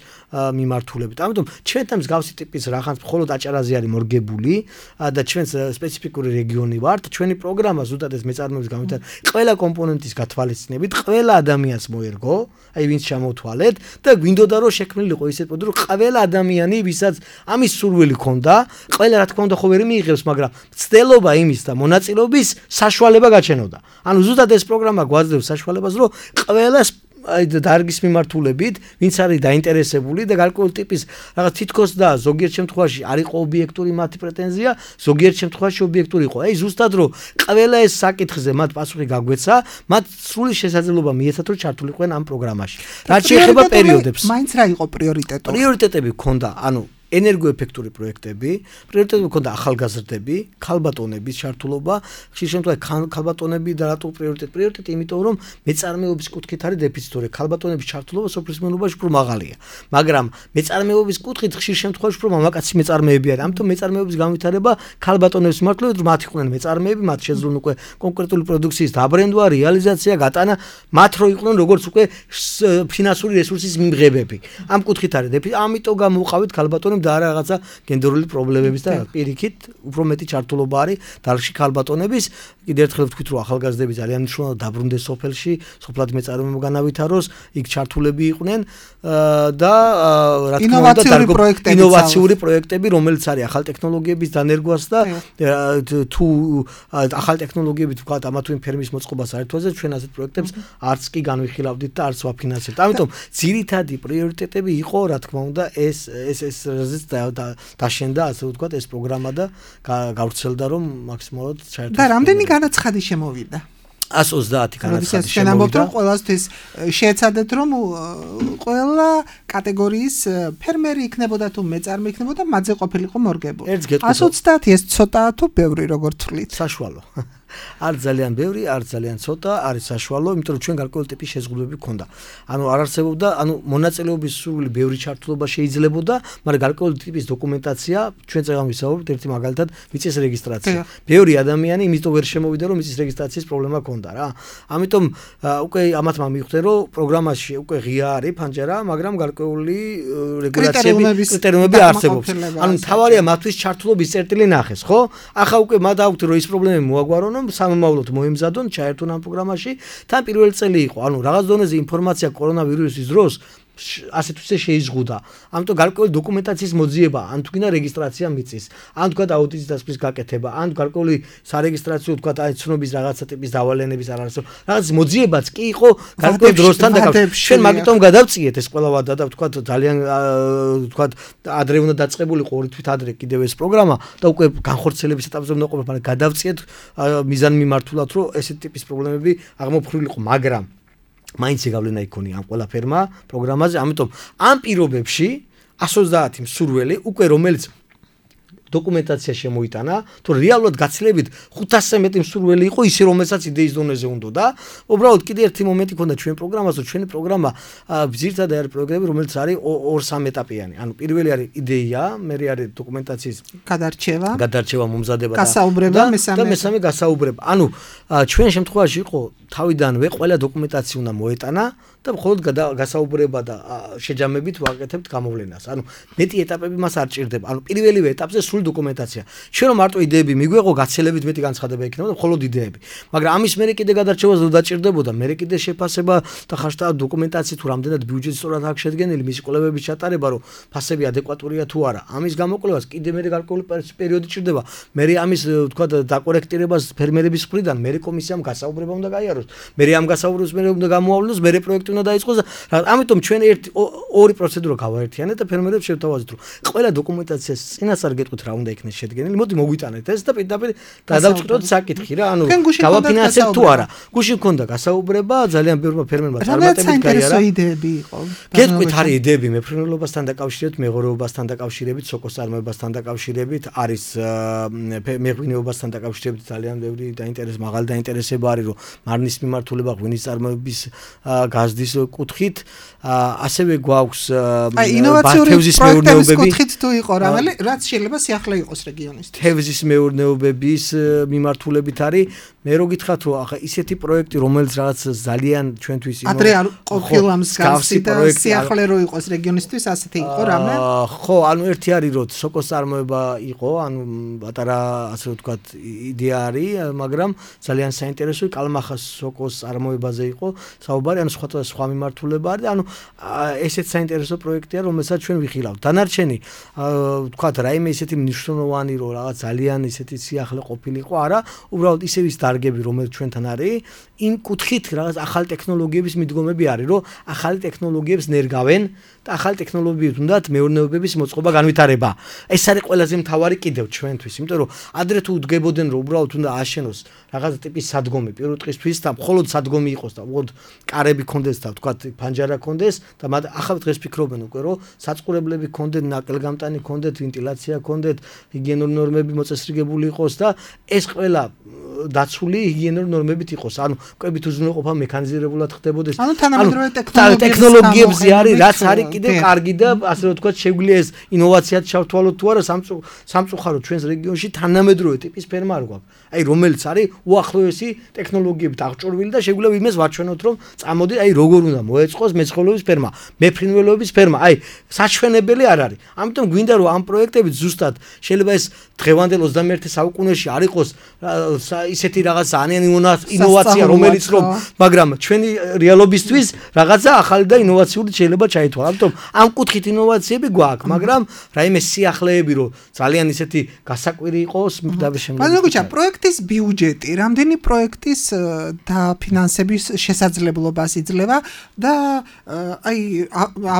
მიმართულებით. ამიტომ ჩვენთან მსგავსი ტიპის რაღაც მხოლოდ აჭარაზე არის მორგებული და ჩვენს სპეციფიკური რეგიონი ვართ. ჩვენი პროგრამა ზუსტად ეს მეწარმეობის განვითარება ყველა კომპონენტის გათვალისწინებით ყველა ადამიანს მოერგო, აი ვინც ჩამოთვალეთ და გვინდოდა რომ შექმნილიყო ისეთ პროდუქტი, რომ ყველა ადამიანი ვისაც ამის სურვილი ქონდა, ყველა რა თქმა უნდა ხო ვერ მიიღებს, მაგრამ ცდელობა იმის და მონაწილეობის საშუალება გაჩენოდა. ანუ ზუსტად ეს პროგრამა გვაძლევს საშუალებას, რომ ყველას აი დარგის მიმართულებით, ვინც არის დაინტერესებული და გარკვეული ტიპის რაღაც თითქოს და ზოგიერთ შემთხვევაში არ იყო ობიექტური მათი პრეტენზია, ზოგიერთ შემთხვევაში ობიექტური იყო. აი ზუსტად რომ ყველა ეს საკითხზე მათ პასუხი გაგვეცა, მათ სრული შესაძლებლობა მიეცათ რომ ჩართულიყვნენ ამ პროგრამაში. რაც შეეხება პერიოდებს. მაინც რა იყო პრიორიტეტი? პრიორიტეტები ჰქონდა, ანუ ენერგოეფექტური პროექტები, პრიორიტეტები ჰქონდა ახალგაზრდები, ქალბატონების ჩართულობა, ხშირ შემთხვევაში ქალბატონები და რატო პრიორიტეტი, იმიტომ რომ მეწარმეობის კუთხით არის დეფიციტური, ქალბატონების ჩართულობა სოფლის მეურნეობაში უფრო მაღალია, მაგრამ მეწარმეობის კუთხით ხშირ შემთხვევაში უფრო მამაკაცი მეწარმეები არის, ამიტომ მეწარმეობის განვითარება ქალბატონების მიმართულებით, რომ მათ იყვნენ მეწარმეები, მათ შეძლონ უკვე კონკრეტული პროდუქციის დაბრენდვა, რეალიზაცია, გატანა, მათ რო იყვნენ როგორც უკვე ფინანსური რესურსის მიმღებები. ამ კუთხით არის დეფიციტი, ამიტომ გამოვყავით ქალბატონები და არა რაღაცა გენდერული პრობლემების და პირიქით უფრო მეტი ჩართულობა არის დარგში ქალბატონების. კიდევ ერთხელ ვთქვით, რომ ახალგაზრდები ძალიან მნიშვნელოვნად დაბრუნდეს სოფელში, სოფლად მეწარმეობა განავითაროს, იქ ჩართულები იყვნენ და რა თქმა უნდა ინოვაციური პროექტები, რომელიც არის ახალ ტექნოლოგიების დანერგვას და თუ ახალ ტექნოლოგიებით ვთქვათ, ამა თუ იმ ფერმის მოწყობას არ ეთვალე, ჩვენ ასეთ პროექტებს არც კი განვიხილავდით და არც ვაფინანსებთ. ამიტომ ძირითადი პრიორიტეტები იყო, რა თქმა უნდა, ეს აზრზეც დაშენდა ასე ვთქვათ ეს პროგრამა და გავრცელდა რომ მაქსიმალურად ჩაერთოს. და რამდენი განაცხადი შემოვიდა? 130 განაცხადი შემოვიდა. ამბობთ რომ ყველასთვის შეეცადეთ რომ ყველა კატეგორიის ფერმერი იქნებოდა თუ მეწარმე იქნებოდა მათზე ყოფილიყო მორგებული. 130 ეს ცოტაა თუ ბევრი როგორ თვლით? საშუალო. არ ძალიან ბევრი, არ ძალიან ცოტა, არის საშუალო, იმიტომ რომ ჩვენ გარკვეული ტიპის შეზღუდვები ქონდა. ანუ არ არსებობდა, მონაწილეობის სურვილი ბევრი ჩართულობა შეიძლებოდა, მაგრამ გარკვეული ტიპის დოკუმენტაცია ჩვენ წეგან ვისაუბრებთ ერთი მაგალითად მიწის რეგისტრაცია. ბევრი ადამიანი იმიტომ ვერ შემოვიდა, რომ მიწის რეგისტრაციის პრობლემა ქონდა რა. ამიტომ უკვე ამათმა მიხვდნენ, რომ პროგრამაში უკვე ღია არის ფანჯარა, მაგრამ გარკვეული რეგულაციები, კრიტერიუმები არსებობს. ანუ მთავარია მათთვის ჩართულობის წერტილი ნახეს, ხო? ახლა უკვე მათ აქვთ რომ ის პრობლემები მოაგვარონ სამომავლოდ მოემზადონ, ჩაერთონ ამ პროგრამაში. თან პირველი წელი იყო, ანუ რაღაც დონეზე ინფორმაცია კორონავირუსის დროს ასეთ თვისე შეიზღუდა. ამიტომ გარკვეული დოკუმენტაციის მოძიება, ან თქინა რეგისტრაცია მიწის, ან თქვა აუდიტის დასკვნის გაკეთება, ან გარკვეული სარეგისტრაციო თქვა აი ცნობის რაღაცა ტიპის დავალენების არ არის. რაღაც მოძიებაც კი იყო გარკვეულ დროსთან დაკავშირებით. ჩვენ მაგიტომ გადავწიეთ ეს ყველა ვადა და თქვა ძალიან თქვა ადრე უნდა დაწყებულიყო ორი თვით ადრე კიდევ ეს პროგრამა და უკვე განხორციელების ეტაპზე უნდა ყოფილიყო, მაგრამ გადავწიეთ მიზანმიმართულად, რომ ესეთ ტიპის პრობლემები აღმოფხვრილიყო, მაგრამ მაინც იგავლენა იქონია ამ ყველაფერმა პროგრამაზე, ამიტომ ამ პირობებში 130 მსურველი უკვე რომელიც დოკუმენტაცია შემოიტანა, თუ რეალურად გაცილებით 500-ზე მეტი მსურველი იყო ისე რომელსაც იდეის დონეზე უნდა და უბრალოდ კიდე ერთი მომენტი ქონდა ჩვენ პროგრამაზე, ჩვენი პროგრამა ძირითადად არის პროგრამები, რომელიც არის 2-3 ეტაპიანი. ანუ პირველი არის იდეა, მერე არის დოკუმენტაციის გადარჩევა, მომზადება გასაუბრება, და მესამე გასაუბრება. ანუ ჩვენ შემთხვევაში იყო თავიდანვე ყველა დოკუმენტაცია უნდა მოეტანა და მხოლოდ გასაუბრება და შეჯამებით ვაკეთებთ გამოვლენას. ანუ მეტი ეტაპები მას არ ჭირდება. ანუ პირველივე ეტაპზე სრული დოკუმენტაცია. ჩვენ რომ მარტო იდეები მიგვეღო, გაცილებით მეტი განცხადება იქნება და მხოლოდ იდეები. მაგრამ ამის მერე კიდე გადარჩევას დაჭირდებოდა, მერე კიდე შეფასება და ხაშტა დოკუმენტაცია თუ რამდენად ბიუჯეტი სწორად აქვს შედგენილი, მისი კვლევების ჩატარება, რომ ფასები ადეკვატურია თუ არა. ამის გამოკვლევას კიდე მერე გარკვეული პერიოდი ჭირდება. მერე ამის თქვა დაკორექტირებას ფერმერების მხრიდან, მერე კომისიამ გასაუბრება უნდა გაიაროს. მერე ამ გასაუბრებას მერე უნდა გამოავლინოს, მერე პროექტი უნდა დაიწყოს. ამიტომ ჩვენ ორი პროცედურა გავაერთიანეთ და ფერმერებს შევთავაზეთ, რომ ყველა დოკუმენტაციას წინასწარ გეტყვით რა უნდა იქნეს შედგენილი. მოდი მოგვიტანეთ ეს და პირდაპირ გადავწყვიტოთ საკითხი რა, ანუ გავაფინანსებთ თუ არა. გუში მქონდა გასაუბრება, ძალიან ბევრმა ფერმერმა წარმატებით გაიარა. იდეები იყო. გეტყვით არის იდეები მეფრინველობასთან დაკავშირებით, მეღორეობასთან დაკავშირებით, სოკოს წარმოებასთან დაკავშირებით, არის მეღვინეობასთან დაკავშირებით ძალიან ბევრი მაღალი დაინტერესება არის, რომ მარნის მიმართულება ღვინის წარმოების გაზდის კუთხით, ასევე გვაქვს თევზის მეურნეობების კუთხით თუ იყო რამე, რაც შეიძლება სიახლე იყოს რეგიონისთვის. თევზის მეურნეობების მიმართულებით არის. მე რო გითხრათ, რომ ახლა ისეთი პროექტი, რომელიც რაღაც ძალიან ჩვენთვის ადრე არ ყოფილა მსგავსი და სიახლე რო იყოს რეგიონისთვის, ასეთი იყო რამე? ხო, ანუ ერთი არის, რომ სოკოს წარმოება იყო, ანუ პატარა ასე ვთქვათ იდეა არის, მაგრამ ძალიან საინტერესოა კალმახას სოკოს წარმოებაზე იყო საუბარი, ანუ სხვა მიმართულება არის, ანუ ესეც საინტერესო პროექტია, რომელსაც ჩვენ ვიხილავთ. დანარჩენი ვთქვათ, რაიმე ისეთი მნიშვნელოვანი, რომ რაღაც ძალიან ისეთი სიახლე ყოფილიყო, არა, უბრალოდ ისე ის დარგები, რომელიც ჩვენთან არის, იმ კუთხით რაღაც ახალი ტექნოლოგიების მიდგომები არის, რომ ახალი ტექნოლოგიებს ნერგავენ და ახალი ტექნოლოგიებს უნდათ მეურნეობების მოწყობა განვითარება. ეს არის ყველაზე მთავარი კიდევ ჩვენთვის, იმიტომ რომ ადრე თუ უდგებოდნენ, რომ უბრალოდ უნდა აშენოს რაღაც ტიპის სადგომი პირუტყისთვის და მხოლოდ სადგომი იყოს და უბრალოდ კარები კონდეს და ვთქვათ ფანჯარა კონდეს და ახლა დღეს ფიქრობენ უკვე, რომ საწყურებლები კონდეთ, ნაკლგამტანი კონდეთ, ვენტილაცია კონდეთ, ჰიგიენური ნორმები მოწესრიგებული იყოს და ეს ყველა დაცული ჰიგიენური ნორმებით იყოს. ანუ კვებით უზრუნველყოფა მექანიზირებულად ხდებოდეს. ანუ თანამედროვე ტექნოლოგიებზე არის, რაც არის კიდე კარგი და ასე ვთქვათ, შეგვიძლია ეს ინოვაციად ჩავთვალოთ თუ არა სამწუხაროდ ჩვენს რეგიონში თანამედროვე ტიპის ფერმა არ გვაქვს. აი რომელიც არის უახლოესი ტექნოლოგიებით აღჭურვილი და შეგვიძლია იმეს ვაჩვენოთ, რომ წამოდი, აი როგორ უნდა მოეწყოს მეცხოველეობის ფერმა, მეფრინველეობის ფერმა. აი საჩვენებელი არ არის. ამიტომ გვინდა რომ ამ პროექტებით ზუსტად შეიძლება ეს დღევანდელ 21 საუკუნეში არ იყოს ისეთი რაღაც ძალიან ინოვაცია რომელიც რომ მაგრამ ჩვენი რეალობისთვის რაღაცა ახალი და ინოვაციური შეიძლება ჩაითვალა. ამიტომ ამ კუთხით ინოვაციები გვაქვს, მაგრამ რაიმე სიახლეები რომ ძალიან ისეთი გასაკვირი იყოს და შემდგომ. მაგრამ გუჩა პროექტის ბიუჯეტი, რამდენი პროექტის დაფინანსების შესაძლებლობას იძლევა და აი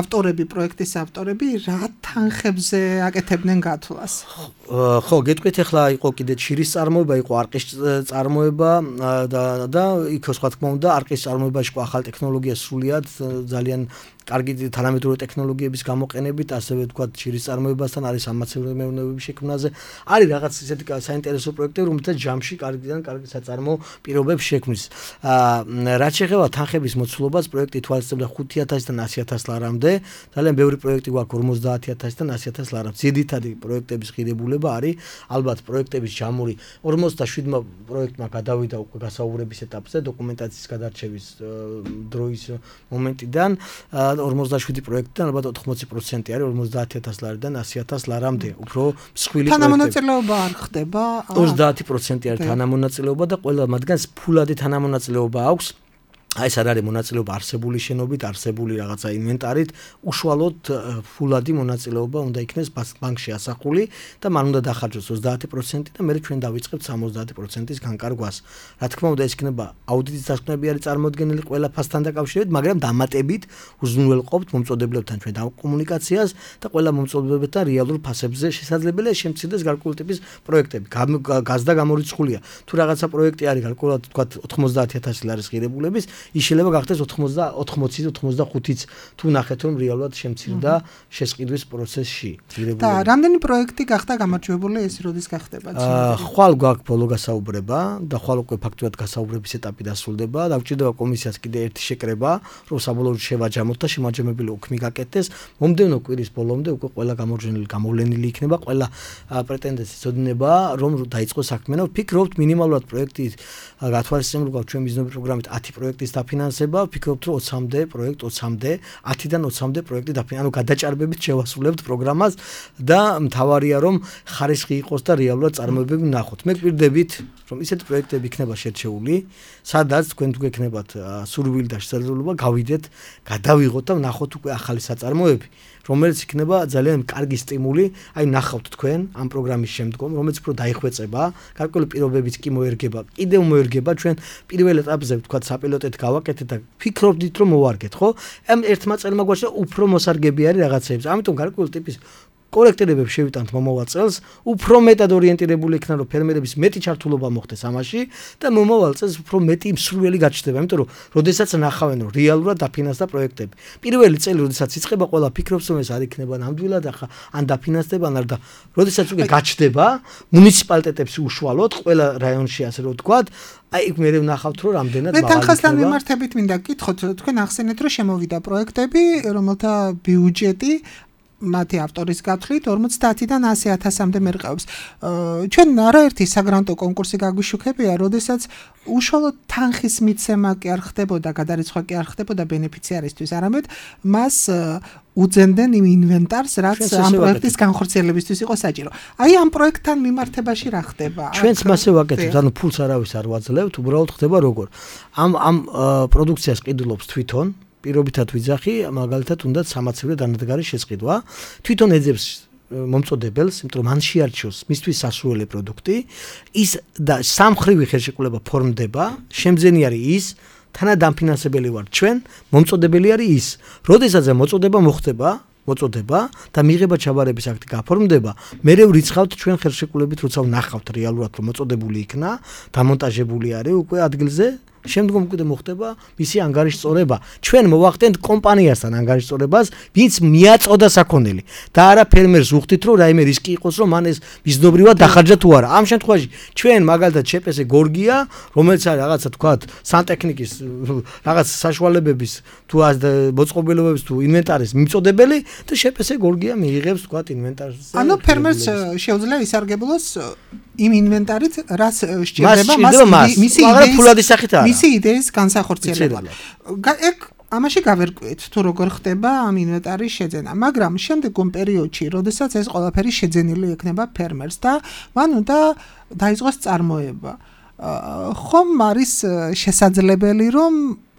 ავტორები, პროექტის ავტორები რა თანხებზე აკეთებდნენ გათვლას? ხო, გეტყვით ახლა იყო კიდე ჩირის წარმოება, იყო არყის წარმოება და იქ სხვა თქმა უნდა არყის წარმოებაში იყო ახალი ტექნოლოგია სრულიად ძალიან კარგი თანამედროვე ტექნოლოგიების გამოყენებით, ასევე თქვა ჩირის წარმოებასთან არის სამაცევრე მეურნეობების შექმნაზე. არის რაღაც ისეთი საინტერესო პროექტები, რომელთაც ჯამში კარგი საწარმო პირობებს შექმნის. რაც შეეხება თანხების მოცულობას, პროექტი თვალისწინებდა 5,000-დან 100,000 ლარამდე. ძალიან ბევრი პროექტი გვაქვს 50,000-დან 100,000 ლარამდე. ძირითადი პროექტების ღირებულება არის ალბათ პროექტების ჯამური 47 პროექტმა გადავიდა უკვე გასაუბრების ეტაპზე, დოკუმენტაციის გადარჩევის დროის მომენტიდან. 47 პროექტიდან ალბათ 80% არის 50,000 ლარიდან 100,000 ლარამდე. უფრო მსხვილი პროექტები. თანამონაწილეობა არ ხდება? 30% არის თანამონაწილეობა და ყველა მათგანს ფულადი თანამონაწილეობა აქვს. აი ეს არ არის მონაწილეობა არსებული შენობით, არსებული რაღაცა ინვენტარით, უშუალოდ ფულადი მონაწილეობა უნდა იქნეს ბანკში ასახული და მან უნდა დახარჯოს 30% და მე ჩვენ დავიწყებთ 70%-ის განკარგვას. რა თქმა უნდა ეს იქნება აუდიტის დასკვნები არის წარმოდგენილი ყველა ფასთან დაკავშირებით, მაგრამ დამატებით უზრუნველყოფთ მომწოდებლებთან ჩვენ კომუნიკაციას და ყველა მომწოდებლებთან რეალურ ფასებზე შესაძლებელია შემცირდეს გარკვეული ტიპის პროექტები. გაზდა გამორიცხულია. თუ რაღაცა პროექტი არის გარკვეულად თქვა 90,000 ლარის ღირებულების ის შეიძლება გახდეს 80-85-იც თუ ნახეთ რომ რეალურად შემცირდა შესყიდვის პროცესში. და რამდენი პროექტი გახდა გამარჯვებული ეს როდის გახდება? ხვალ გვაქვს ბოლო გასაუბრება და ხვალ უკვე ფაქტურად გასაუბრების ეტაპი დასრულდება და გვჭირდება კომისიას კიდე ერთი შეკრება, რომ საბოლოოდ შევაჯამოთ და შემაჯამებელი უქმი გაკეთდეს. მომდევნო კვირის ბოლომდე უკვე ყველა გამოვლენილი იქნება, ყველა პრეტენდენტს იცოდინება რომ დაიწყოს საქმე. ვფიქრობთ მინიმალურად პროექტის გათვალისწინებულ გვაქვს ჩვენ მიზნობი პროგრამით 10 პროექტის დაფინანსება, ვფიქრობთ რომ 20-მდე პროექტ 20-მდე, 10-დან 20-მდე პროექტი ანუ გადაჭარბებით შევასრულებთ პროგრამას და მთავარია რომ ხარისხი იყოს და რეალურად წარმოებები ვნახოთ. მე გვირდებით რომ ისეთი პროექტები იქნება შერჩეული, სადაც თქვენ თუ გექნებათ სურვილი და შესაძლებლობა გავიდეთ, გადავიღოთ და ვნახოთ უკვე ახალი საწარმოები, რომელიც იქნება ძალიან კარგი სტიმული, აი ნახავთ თქვენ ამ პროგრამის შემდგომ, რომელიც უფრო დაიხვეწება, გარკვეული პირობებიც კი მოერგება, კიდევ მოერგება ჩვენ პირველ ეტაპზე ვთქვათ საპილოტეთ გავაკეთეთ და ფიქრობდით რომ მოვარგეთ, ხო? ამ ერთმა წელმა გვაჩვენა უფრო მოსარგები არის რაღაცეებს. ამიტომ გარკვეული ტიპის კორექტირებებს შევიტანთ მომავალ წელს, უფრო მეტად ორიენტირებული იქნა რომ ფერმერების მეტი ჩართულობა მოხდეს ამაში და მომავალ წელს უფრო მეტი მსურველი გაჩნდება, იმიტომ რომ როდესაც ნახავენ რომ რეალურად დაფინანსდა პროექტები. პირველი წელი როდესაც იწყება, ყველა ფიქრობს რომ ეს არ იქნება ნამდვილად ახლა ან დაფინანსდება ან არა და როდესაც უკვე გაჩნდება მუნიციპალიტეტებში უშუალოდ ყველა რაიონში ასე რომ ვთქვათ, აი იქ მე ვნახავთ რომ რამდენად მაღალი იქნება. მე თანხასთან მიმართებით მინდა გითხოთ, თქვენ ახსენეთ რომ შემოვიდა პროექტები, რომელთა ბიუჯეტი მათი ავტორის გათვლით 50-დან 100,000-მდე მერყევს. ჩვენ არაერთი საგრანტო კონკურსი გაგვიშუქებია, როდესაც უშუალოდ თანხის მიცემა კი არ ხდებოდა, გადარიცხვა კი არ ხდებოდა ბენეფიციარისთვის, არამედ მას უძენდნენ იმ ინვენტარს, რაც ამ პროექტის განხორციელებისთვის იყო საჭირო. აი ამ პროექტთან მიმართებაში რა ხდება? ჩვენც მასე ვაკეთებთ, ანუ ფულს არავის არ ვაძლევთ, უბრალოდ ხდება როგორ. ამ პროდუქციას ყიდულობს თვითონ პირობითად ვიძახი, მაგალითად უნდა სამაცევრე დანადგარის შესყიდვა. თვითონ ეძებს მომწოდებელს, იმიტომ რომ მან შეარჩიოს მისთვის სასურველი პროდუქტი, ის და სამხრივი ხელშეკრულება ფორმდება, შემძენი არის ის, თანადამფინანსებელი ვარ ჩვენ, მომწოდებელი არის ის. როდესაც მოწოდება მოწოდება და მიღება ჩაბარების აქტი გაფორმდება, მერე ვრიცხავთ ჩვენ ხელშეკრულებით, როცა ვნახავთ რეალურად რომ მოწოდებული იქნა, დამონტაჟებული არის უკვე ადგილზე. შემდგომ უკვე მოხდება მისი ანგარიშწორება. ჩვენ მოვახდენთ კომპანიასთან ანგარიშწორებას, ვინც მიაწოდა საქონელი და არა ფერმერს უხდით, რომ რაიმე რისკი იყოს, რომ მან ეს მიზნობრივად დახარჯა თუ არა. ამ შემთხვევაში ჩვენ მაგალითად ЧՊС გორგია, რომელიც არის რაღაცა თქვათ სანტექნიკის რაღაც საშუალებების თუ მოწყობილობების თუ ინვენტარის მიმწოდებელი და ЧПС გორგია მიიღებს თქვათ ინვენტარს. ანუ ფერმერს შეუძლია ისარგებლოს იმ ინვენტარით, რაც სჭირდება მისი იდეის განსახორციელებლად. ეგ ამაში გავერკვიეთ თუ როგორ ხდება ამ ინვენტარის შეძენა, მაგრამ შემდგომ პერიოდში, როდესაც ეს ყველაფერი შეძენილი ექნება ფერმერს და მან უნდა დაიწყოს წარმოება. ხომ არის შესაძლებელი რომ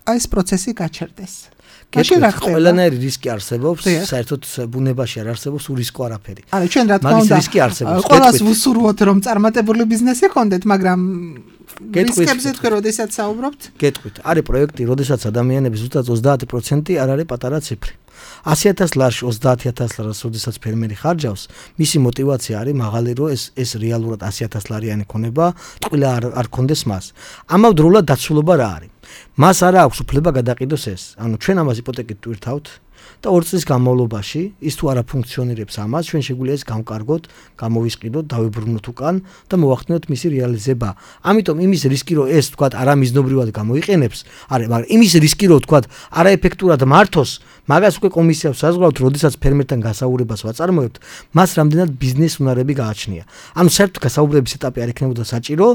აი ეს პროცესი გაჩერდეს? ყველანაირი რისკი არსებობს, საერთოდ ბუნებაში არ არსებობს ურისკო არაფერი. არა, ჩვენ რა თქმა უნდა, რისკი არსებობს. ყველას ვუსურვოთ რომ წარმატებული ბიზნესი გქონდეთ, მაგრამ რისკებზე თქვენ როდესაც საუბრობთ? გეტყვით, არის პროექტი, როდესაც ადამიანების ზუსტად 30% არ არის პატარა ციფრი. 100,000 ლარში 30,000 ლარს როდესაც ფერმერი ხარჯავს, მისი мотиваცია არის მაღალი, რომ ეს რეალურად 100,000 ლარიანი ქონება, ტყუილა არ ქონდეს მას. ამავდროულად დაცულობა რა არის? მას არა აქვს უფლება გადაყიდოს ეს. ანუ ჩვენ ამას იპოთეკით ვირთავთ და 2 წლის განმავლობაში ის თუ არა ფუნქციონირებს ამას, ჩვენ შეგვიძლია ეს გამკარგოთ, გამოვისყიდოთ, დავიბრუნოთ უკან და მოვახდინოთ მისი რეალიზება. ამიტომ იმის რისკი რომ ეს თქვა არამიზნობრივად გამოიყენებს, მაგრამ იმის რისკი რომ თქვა არაეფექტურად მართოს, მაგას უკვე კომისიას საზღვრავთ, როდესაც ფერმერთან გასაუბრებას ვაწარმოებთ, მას რამდენად ბიზნეს უნარები გააჩნია. ანუ საერთოდ გასაუბრების ეტაპი არ იქნებოდა საჭირო,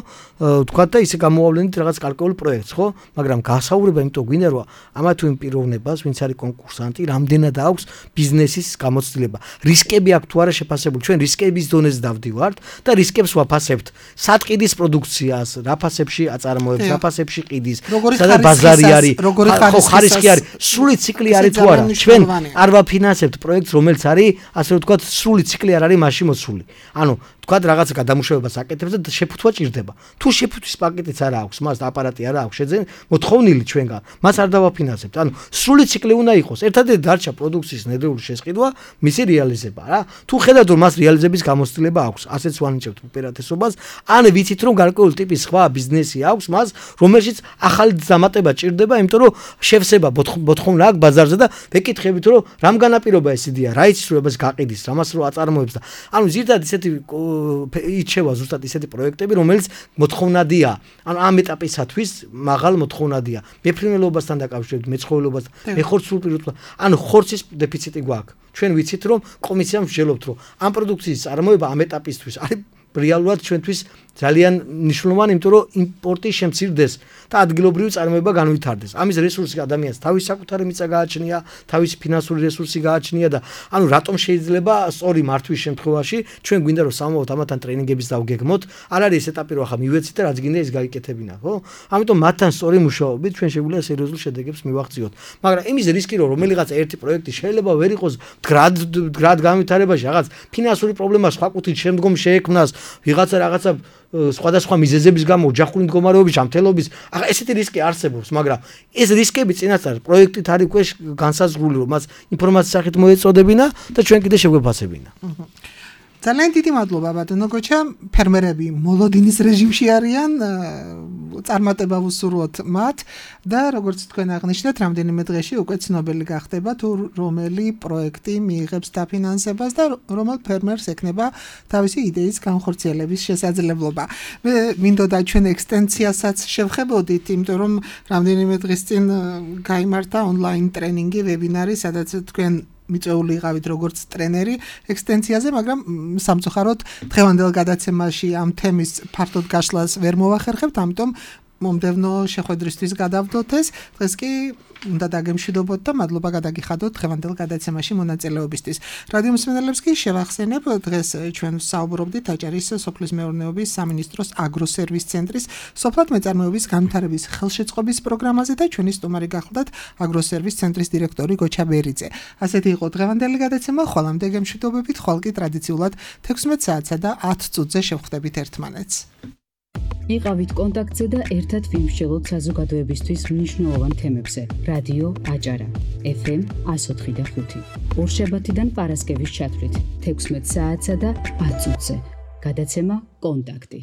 თქვა და ისე გამოავლენით რაღაც კალკულურ პროექტს, ხო? მაგრამ გასაუბრება იმიტომ გვინდა რომ ამა თუ იმ პიროვნებას, ვინც არის კონკურსანტი, რამდენად აქვს ბიზნესის გამოცდილება. რისკები აქვს თუ არა შეფასებული. ჩვენ რისკების დონეზე დავდივართ და რისკებს ვაფასებთ. სატყიდის პროდუქციას, რა ფასებში აწარმოებს, რა ფასებში ყიდის, სადაც ბაზარი არის, ხო ხარისხი არის, სრული ციკლი არის თუ არა. ჩვენ არ ვაფინანსებთ პროექტს, რომელიც არის, ასე ვთქვათ, სრული ციკლი არ არის მასში მოცული. ანუ თქვათ რაღაცა გადამუშავებას აკეთებს და შეფუთვა ჭირდება. თუ შეფუთვის პაკეტიც არ აქვს, მას აპარატი არ აქვს, შეძენ მოთხოვნილი ჩვენგან, მას არ დავაფინანსებთ. ანუ სრული ციკლი უნდა იყოს. ერთადერთი დარჩა პროდუქციის ნედრეული შესყიდვა, მისი რეალიზება რა. თუ ხედავთ რომ მას რეალიზების გამოცდილება აქვს, ასეც ვანიჭებთ უპირატესობას, ან ვიცით რომ გარკვეული ტიპის სხვა ბიზნესი აქვს მას, რომელშიც ახალი დამატება ჭირდება, იმიტომ რომ შევსება მოთხოვნა აქვს ბაზარზე და ვეკითხებით რომ რამ განაპირობა ეს იდეა, რა იცის რომ ეს გაყიდის, რამას რო აწარმოებს და ანუ ზირთად ისეთი იჩევა ზუსტად ისეთი პროექტები, რომელიც მოთხოვნადია. ანუ ამ ეტაპისათვის მაღალ მოთხოვნადია. მეფრინველობასთან დაკავშირებით, მეცხოველობასთან, მეხორცულ პირობასთან. ანუ ხორცის დეფიციტი გვაქვს. ჩვენ ვიცით რომ კომისიამ ვსჯელობთ რომ ამ პროდუქციის წარმოება ამ ეტაპისთვის არის რეალურად ჩვენთვის ძალიან მნიშვნელოვანი, იმიტომ რომ იმპორტი შემცირდეს და ადგილობრივი წარმოება განვითარდეს. ამის რესურსი ადამიანს თავის საკუთარი მიწა გააჩნია, თავისი ფინანსური რესურსი გააჩნია და ანუ რატომ შეიძლება სწორი მართვის შემთხვევაში ჩვენ გვინდა რომ სამოვოთ ამათან ტრენინგების დავგეგმოთ, არ არის ეს ეტაპი რომ ახლა მივეცით და რაც გინდა ის გაიკეთებინა, ხო? ამიტომ მათთან სწორი მუშაობით ჩვენ შეგვიძლია სერიოზულ შედეგებს მივაღწიოთ. მაგრამ იმის რისკი რომ რომელიღაც ერთი პროექტი შეიძლება ვერ იყოს მდგრად განვითარებაში, რაღაც ფინანსური პრობლემა სხვა კუთხით შემდგომ შეექმნას, ვიღაცა რაღაცა სხვადასხვა მიზეზების გამო ოჯახური მდგომარეობის ჯანმრთელობის, ახლა ესეთი რისკი არსებობს, მაგრამ ეს რისკები წინასწარ პროექტით არის უკვე განსაზღვრული, რომ მას ინფორმაციის სახით მოეწოდებინა და ჩვენ კიდე შეგვეფასებინა. ძალიან დიდი მადლობა ბატონო გოჩა, ფერმერები მოლოდინის რეჟიმში არიან, წარმატება ვუსურვოთ მათ და როგორც თქვენ აღნიშნეთ, რამდენიმე დღეში უკვე ცნობილი გახდება თუ რომელი პროექტი მიიღებს დაფინანსებას და რომელ ფერმერს ექნება თავისი იდეის განხორციელების შესაძლებლობა. მე მინდოდა ჩვენ ექსტენსიასაც შევხებოდით, იმიტომ რომ რამდენიმე დღის წინ გაიმართა ონლაინ ტრენინგი, ვებინარი, სადაც თქვენ მიწეული იყავით როგორც ტრენერი ექსტენსიაზე, მაგრამ სამწუხაროდ დღევანდელ გადაცემაში ამ თემის ფართოდ გაშლას ვერ მოვახერხებთ, ამიტომ მომდევნო შეხვედრისთვის გადავდოთ ეს. დღეს კი უნდა დაგემშვიდობოთ და მადლობა გადაგიხადოთ დღევანდელ გადაცემაში მონაწილეობისთვის. რადიო მსმენელებს კი შევახსენებ, დღეს ჩვენ საუბრობდით აჭარის სოფლის მეურნეობის სამინისტროს აგროსერვის ცენტრის სოფლად მეწარმოების განვითარების ხელშეწყობის პროგრამაზე და ჩვენი სტუმარი გახლდათ აგროსერვის ცენტრის დირექტორი გოჩა ბერიძე. ასეთი იყო დღევანდელი გადაცემა, ხვალამდე გემშვიდობებით, ხვალ კი ტრადიციულად 16 საათსა და 10 წუთზე შევხვდებით ერთმანეთს. იყავით კონტაქტზე და ერთად ვიმსჯელოთ საზოგადოებისთვის მნიშვნელოვან თემებზე. რადიო აჭარა FM 104.5 ორშაბათიდან პარასკევის ჩათვლით 16 საათსა და 10 წუთზე. გადაცემა კონტაქტი.